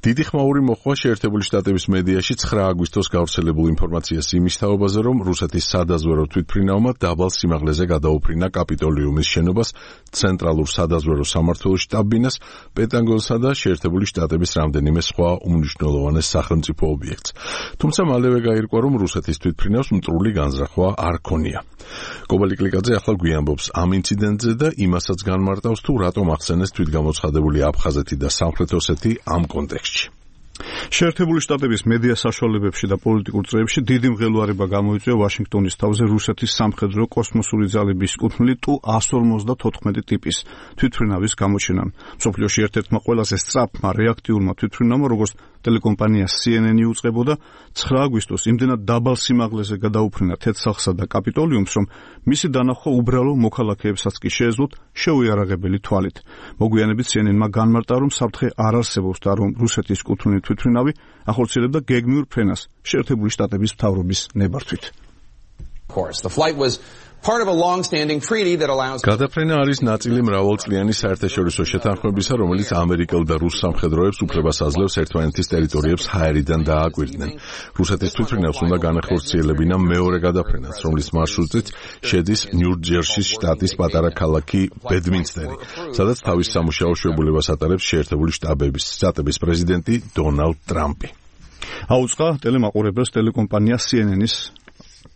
დიდი ხმაური მოხდა შეერთებული შტატების მედიაში 9 აგვისტოს გავრცელებულ ინფორმაციას იმის თაობაზე, რომ რუსეთის სადაზვერო თვითმფრინავმა დაბალ სიმაღლეზე გადაუფრინა კაპიტოლიუმის შენობას, ცენტრალურ სადაზვერო სამმართველოს შტაბ-ბინას, პენტაგონსა და შეერთებული შტატების რამდენიმე სხვა უმნიშვნელოვანეს სახელმწიფო ობიექტს. თუმცა მალევე გაირკვა, რომ რუსეთის თვითმფრინავს მტრული განზრახვა არ ქონია. კობალიკლიკაძე ახლა გვიამბობს ამ ინციდენტზე და იმასაც განმარტავს, თუ რატომ ახსენეს თვითგამოცხადებული აფხაზეთი და სამხრეთ ოსეთი ამ კონტექსტში. შეერთებული შტატების მედია საშუალებებში და პოლიტიკურ წრეებში დიდი მღელვარება გამოიწვია ვაშინგტონის თავზე რუსეთის სამხედრო კოსმოსური ძალების კუთვნილი Tu-154 ტიპის თვითმფრინავის გამოჩენამ. მსოფლიოში ერთ-ერთმა ყველაზე სწრაფმა რეაქტიულმა თვითმფრინავმა, როგორც ტელეკომპანია CNN უწყებოდა, 9 აგვისტოს იმდენად დაბალ სიმაღლეზე გადაუფრინა თეთრსახსა და კაპიტოლიუმს, რომ მისი დანახვა უბრალო მოქალაქეებსაც კი შეეძლოთ შეუიარაღებელი თვალით. მოგვიანებით CNN-მა განმარტა, რომ საფრთხე არ არსებობს და რომ რუსეთის კუთვნილი თვითმფრინავი ახორციელებდა გეგმიურ ფრენას შეერთებული შტატების მთავრობის ნებართვით. გადაფრენა არის ნაწილი მრავალწლიანი საერთაშორისო შეთანხმებისა, რომელიც ამერიკელ და რუს სამხედროებს უფლებას აძლევს ერთმანეთის ტერიტორიებს ჰაერიდან დააკვირდნენ. რუსეთის თვითმფრინავს უნდა განახორციელებინა მეორე გადაფრენაც, რომლის მარშრუტით შედის ნიუ-ჯერსის შტატის პატარა ქალაქი ბედმინსტერი, სადაც თავის სამუშაო შეებულებას ატარებს შეერთებული შტატების პრეზიდენტი დონალდ ტრამპი. აუწყა ტელემაყურებელს ტელეკომპანია CNN-ის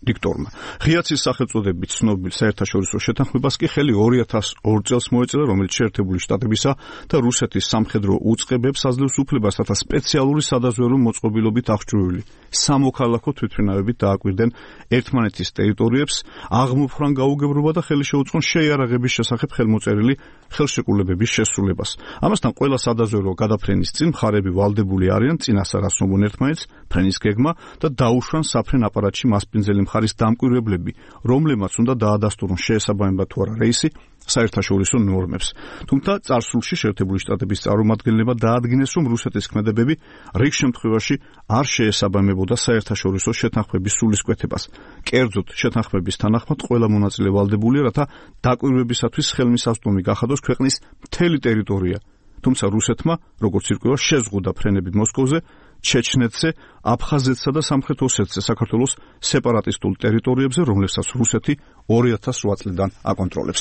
დიქტორმა. ღიაცის სახელწოდებით ცნობილ საერთაშორისო შეთანხმებას კი ხელი 2002 წელს მოეწერა, რომელიც შეერთებული შტატებისა და რუსეთის სამხედრო უწყებებს აძლევს უფლებას, რათა სპეციალური სადაზვერო მოწყობილობით აღჭურვილი სამოქალაქო თვითმფრინავებით დააკვირდნენ ერთმანეთის ტერიტორიებს, აღმოფხვრან გაუგებრობა და ხელი შეუწყონ შეიარაღების შესახებ ხელმოწერილი ხელშეკრულებების შესრულებას. ამასთან ყველა სადაზვერო გადაფრენის წინ მხარები ვალდებული არიან წინასწარ ასრულონ ერთმანეთს ფრენის გეგმა და დაუშვან საფრენ აპარატში მასპინძელი მხარის დამკვირვებლები, რომლებმაც უნდა დაადასტურონ შეესაბამება თუ არა რეისი საერთაშორისო ნორმებს. თუმცა წარსულში შეერთებული შტატების წარმომადგენლებმა დაადგინეს, რომ რუსეთის ქმედებები რიგ შემთხვევაში არ შეესაბამებოდა საერთაშორისო შეთანხმების სულისკვეთებას. კერძოდ, შეთანხმების თანახმად ყველა მონაწილე ვალდებულია, რათა დაკვირვებისათვის ხელმისაწვდომი გახადოს ქვეყნის მთელი ტერიტორია. თუმცა რუსეთმა, როგორც ირკვევა, შეზღუდა ფრენები მოსკოვზე, ჩეჩნეთზე, აფხაზეთსა და სამხრეთ ოსეთზე საქართველოს სეპარატისტულ ტერიტორიებზე, რომლებსაც რუსეთი 2008 წლიდან აკონტროლებს.